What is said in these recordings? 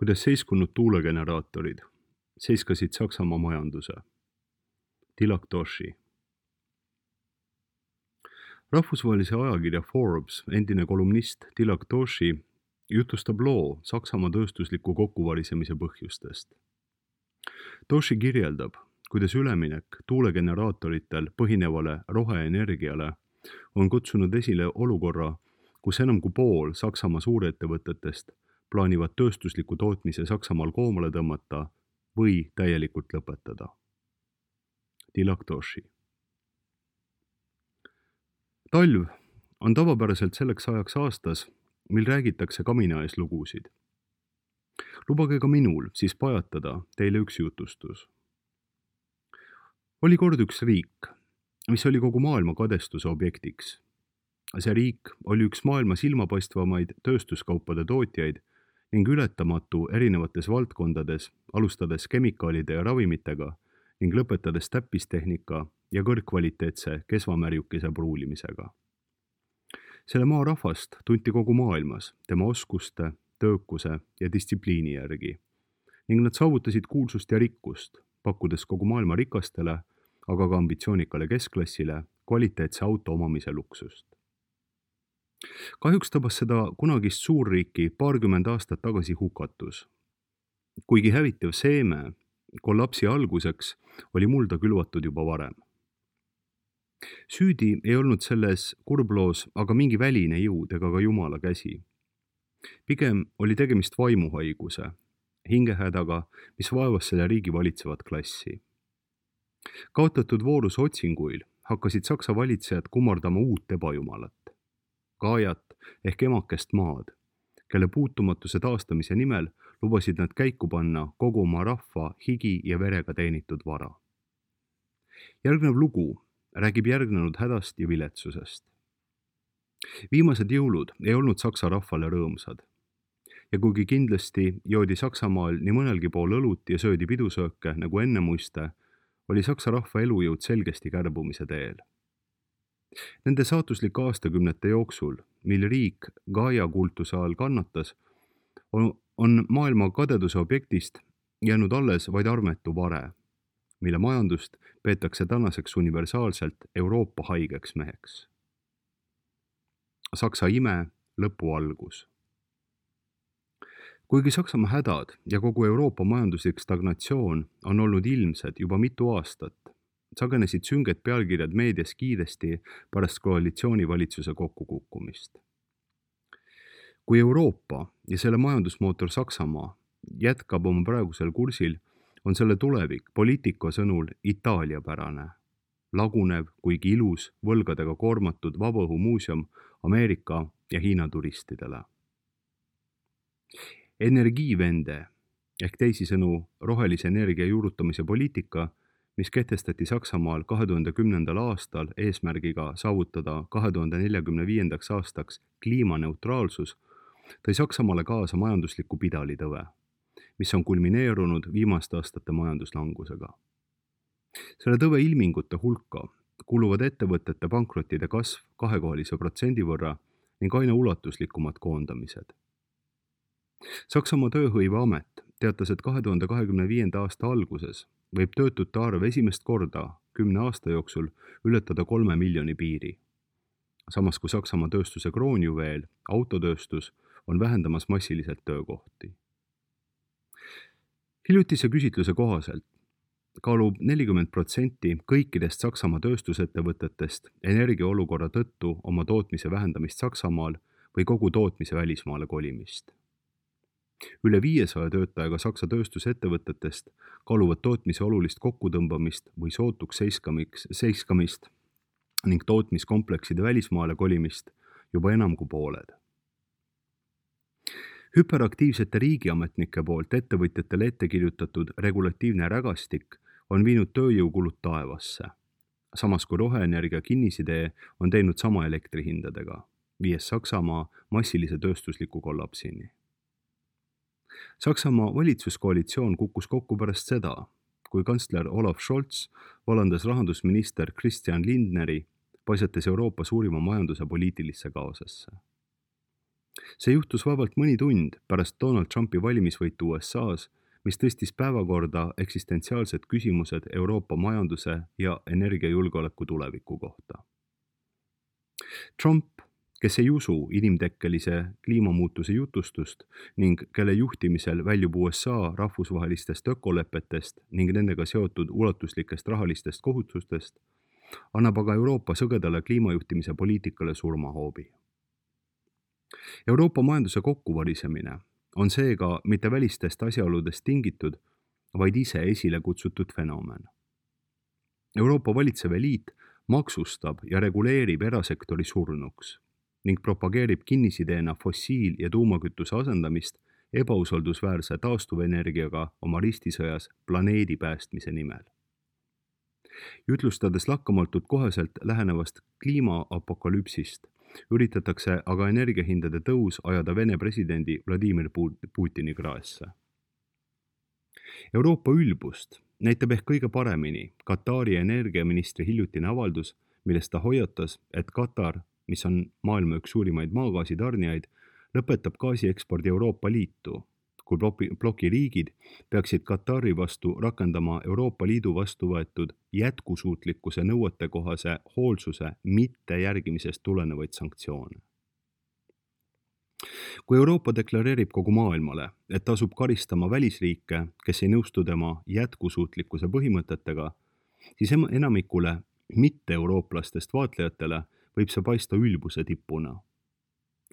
kuidas seiskunud tuulegeneraatorid seiskasid Saksamaa majanduse. Tilak Toshi. Rahvusvahelise ajakirja Forbes endine kolumnist Tilak Toshi jutustab loo Saksamaa tööstusliku kokkuvarisemise põhjustest. Toshi kirjeldab, kuidas üleminek tuulegeneraatoritel põhinevale roheenergiale on kutsunud esile olukorra, kus enam kui pool Saksamaa suurettevõtetest plaanivad tööstusliku tootmise Saksamaal koomale tõmmata või täielikult lõpetada. Tilak Toshi. Talv on tavapäraselt selleks ajaks aastas, mil räägitakse kaminaees lugusid. Lubage ka minul siis pajatada teile üks jutustus. Oli kord üks riik, mis oli kogu maailma kadestuse objektiks. See riik oli üks maailma silmapaistvamaid tööstuskaupade tootjaid ning ületamatu erinevates valdkondades, alustades kemikaalide ja ravimitega ning lõpetades täppistehnika ja kõrgkvaliteetse kesvamärjukese pruulimisega. Selle maa rahvast tunti kogu maailmas tema oskuste, töökuse ja distsipliini järgi ning nad saavutasid kuulsust ja rikkust, pakkudes kogu maailma rikastele, aga ka ambitsioonikale keskklassile kvaliteetse auto omamise luksust. Kahjuks tabas seda kunagist suurriiki paarkümmend aastat tagasi hukatus. Kuigi hävitav seeme kollapsi alguseks oli mulda külvatud juba varem. Süüdi ei olnud selles kurbloos aga mingi väline jõud ega ka Jumala käsi. Pigem oli tegemist vaimuhaiguse, hingehädaga, mis vaevas selle riigi valitsevat klassi. Kaotatud vooruse otsinguil hakkasid Saksa valitsejad kummardama uut ebajumalat. Gaajat ehk emakest maad, kelle puutumatuse taastamise nimel lubasid nad käiku panna kogu oma rahva higi ja verega teenitud vara. Järgnev lugu räägib järgnenud hädast ja viletsusest. Viimased jõulud ei olnud Saksa rahvale rõõmsad. Ja kuigi kindlasti joodi Saksamaal nii mõnelgi pool õlut ja söödi pidusööke nagu enne muiste, oli Saksa rahva elujõud selgesti kärbumise teel. Nende saatuslike aastakümnete jooksul, mil riik Gaia kultuse all kannatas, on maailma kadeduse objektist jäänud alles vaid armetu vare, mille majandust peetakse tänaseks universaalselt Euroopa haigeks meheks. Saksa ime lõpu algus. Kuigi Saksamaa hädad ja kogu Euroopa majanduslik stagnatsioon on olnud ilmsed juba mitu aastat, sagenesid sünged pealkirjad meedias kiiresti pärast koalitsioonivalitsuse kokkukukkumist. Kui Euroopa ja selle majandusmootor Saksamaa jätkab oma praegusel kursil, on selle tulevik poliitika sõnul Itaalia-pärane, lagunev, kuigi ilus, võlgadega koormatud vabaõhumuuseum Ameerika ja Hiina turistidele. Energiivende ehk teisisõnu rohelise energia juurutamise poliitika, mis kehtestati Saksamaal 2010. aastal eesmärgiga saavutada 2045. aastaks kliimaneutraalsus, tõi Saksamaale kaasa majandusliku pidalitõve, mis on kulmineerunud viimaste aastate majanduslangusega. Selle tõve ilmingute hulka kuluvad ettevõtete pankrottide kasv 2% võrra ning aina ulatuslikumad koondamised. Saksamaa tööhõiveamet teatas, et 2025. aasta alguses võib töötute arv esimest korda 10 aasta jooksul ületada 3 miljoni piiri. Samas kui Saksamaa tööstuse kroonjuveel, autotööstus, on vähendamas massiliselt töökohti. Hiljutise küsitluse kohaselt kaalub 40% kõikidest Saksamaa tööstusettevõtetest energiaolukorra tõttu oma tootmise vähendamist Saksamaal või kogu tootmise välismaale kolimist. Üle 500 töötajaga Saksa tööstusettevõtetest kaaluvad tootmise olulist kokkutõmbamist või sootuks seiskamist ning tootmiskomplekside välismaale kolimist juba enam kui pooled. Hüperaktiivsete riigiametnike poolt ettevõtjatele ette kirjutatud regulatiivne rägastik on viinud tööjõukulud taevasse, samas kui roheenergia kinnisidee on teinud sama elektrihindadega, viies Saksamaa massilise tööstusliku kollapsini. Saksamaa valitsuskoalitsioon kukkus kokku pärast seda, kui kantsler Olaf Scholz vallandas rahandusminister Christian Lindneri, paisates Euroopa suurima majanduse poliitilisse kaosesse. see juhtus vabalt mõni tund pärast Donald Trumpi valimisvõitu USA-s, mis tõstis päevakorda eksistentsiaalsed küsimused Euroopa majanduse ja energiajulgeoleku tuleviku kohta. Trump, kes ei usu inimtekkelise kliimamuutuse jutustust ning kelle juhtimisel väljub USA rahvusvahelistest ökolepetest ning nendega seotud ulatuslikest rahalistest kohustustest, annab aga Euroopa sõgedale kliimajuhtimise poliitikale surmahoobi. Euroopa majanduse kokkuvarisemine on seega mitte välistest asjaoludest tingitud, vaid ise esile kutsutud fenomen. Euroopa valitsev eliit maksustab ja reguleerib erasektori surnuks ning propageerib kinnisideena fossiil- ja tuumakütuse asendamist ebausaldusväärse taastuvenergiaga oma ristisõjas planeedi päästmise nimel. Jutlustades lakkamatult koheselt lähenevast kliimaapokalüpsist, üritatakse aga energiahindade tõus ajada Vene presidendi Vladimir Putini kraesse. Euroopa ülbust näitab ehk kõige paremini Katari energiaministri hiljutine avaldus, milles ta hoiatas, et Katar, mis on maailma üks suurimaid maagaasitarnijaid, lõpetab gaasiekspordi Euroopa Liitu, kui bloki riigid peaksid Katari vastu rakendama Euroopa Liidu vastu võetud jätkusuutlikkuse nõuetekohase hoolsuse mitte järgimisest tulenevaid sanktsioone. Kui Euroopa deklareerib kogu maailmale, et tasub karistama välisriike, kes ei nõustu tema jätkusuutlikkuse põhimõtetega, siis enamikule mitte-eurooplastest vaatlejatele võib see paista ülbuse tippuna.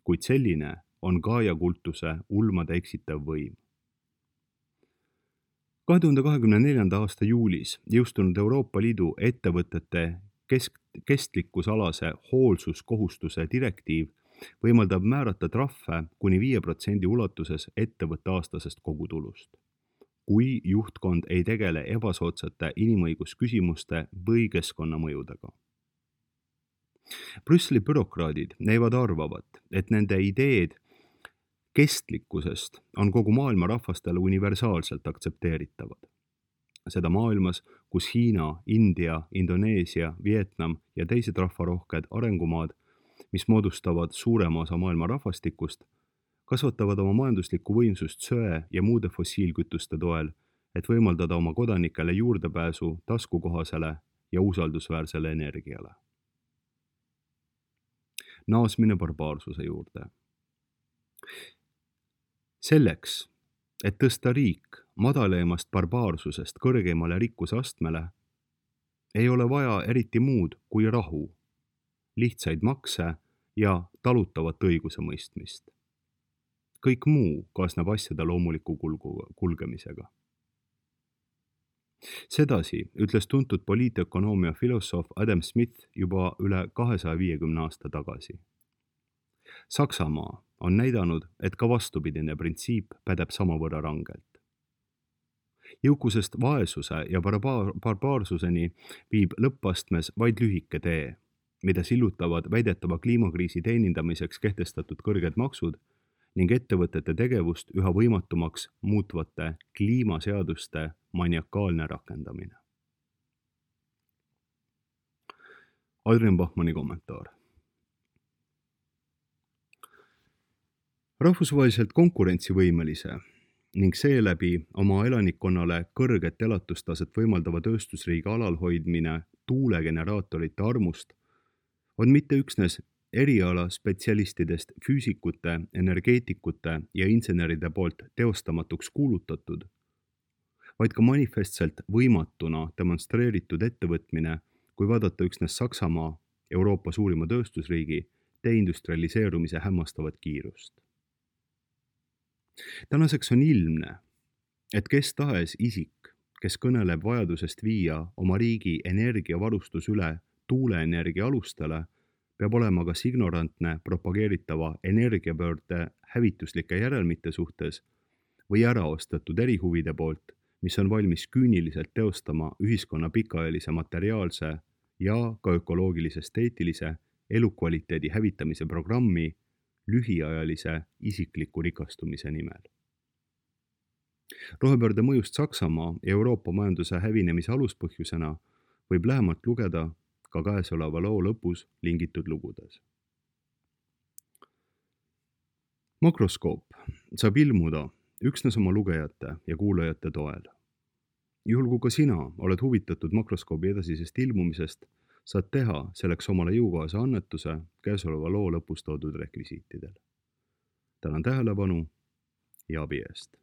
Kuid selline on Gaia kultuse ulmade eksitav võim. 2024. aasta juulis jõustunud Euroopa Liidu ettevõtete kestlikkusalase hoolsuskohustuse direktiiv võimaldab määrata trahve kuni 5% ulatuses ettevõtte aastasest kogutulust, kui juhtkond ei tegele ebasoodsate inimõigusküsimuste või keskkonnamõjudega. Brüsseli bürokraadid näivad arvavat, et nende ideed kestlikkusest on kogu maailma rahvastele universaalselt aktsepteeritavad. Seda maailmas, kus Hiina, India, Indoneesia, Vietnam ja teised rahvarohked arengumaad, mis moodustavad suurema osa maailma rahvastikust, kasvatavad oma majanduslikku võimsust söe ja muude fossiilkütuste toel, et võimaldada oma kodanikele juurdepääsu taskukohasele ja usaldusväärsele energiale. Naasmine barbaarsuse juurde. Selleks, et tõsta riik madalaimast barbaarsusest kõrgeimale rikkusastmele, ei ole vaja eriti muud kui rahu, lihtsaid makse ja talutavat õigusemõistmist. Kõik muu kaasneb asjade loomuliku kulgemisega. Sedasi ütles tuntud poliitökonoomia filosoof Adam Smith juba üle 250 aasta tagasi. Saksamaa on näidanud, et ka vastupidine printsiip pädeb samavõrra rangelt. Jõukusest vaesuse ja barbaarsuseni viib lõppastmes vaid lühike tee, mida sillutavad väidetava kliimakriisi teenindamiseks kehtestatud kõrged maksud ning ettevõtete tegevust üha võimatumaks muutvate kliimaseaduste maniakaalne rakendamine. Adrian Bachmanni kommentaar. Rahvusvaheliselt konkurentsivõimelise ning seeläbi oma elanikkonnale kõrget elatustaset võimaldava tööstusriigi alalhoidmine tuulegeneraatorite armust on mitte üksnes eriala spetsialistidest füüsikute, energeetikute ja inseneride poolt teostamatuks kuulutatud, vaid ka manifestselt võimatuna demonstreeritud ettevõtmine, kui vaadata üksnes Saksamaa, Euroopa suurima tööstusriigi, deindustrialiseerumise hämmastavat kiirust. Tänaseks on ilmne, et kes tahes isik, kes kõneleb vajadusest viia oma riigi energiavarustus üle tuuleenergia alustele, peab olema kas ignorantne propageeritava energiapöörde hävituslike järelmite suhtes või äraostetud erihuvide poolt, mis on valmis küüniliselt teostama ühiskonna pikaajalise materiaalse ja ka ökoloogilise-esteetilise elukvaliteedi hävitamise programmi lühiajalise isikliku rikastumise nimel. Rohepöörde mõjust Saksamaa ja Euroopa majanduse hävinemise aluspõhjusena võib lähemalt lugeda ka käesoleva loo lõpus lingitud lugudes. Makroskoop saab ilmuda üksnes oma lugejate ja kuulajate toel. Juhul kui ka sina oled huvitatud makroskoobi edasisest ilmumisest, saad teha selleks omale jõukohase annetuse käesoleva loo lõpus toodud rekvisiitidel. Tänan tähelepanu ja abi eest!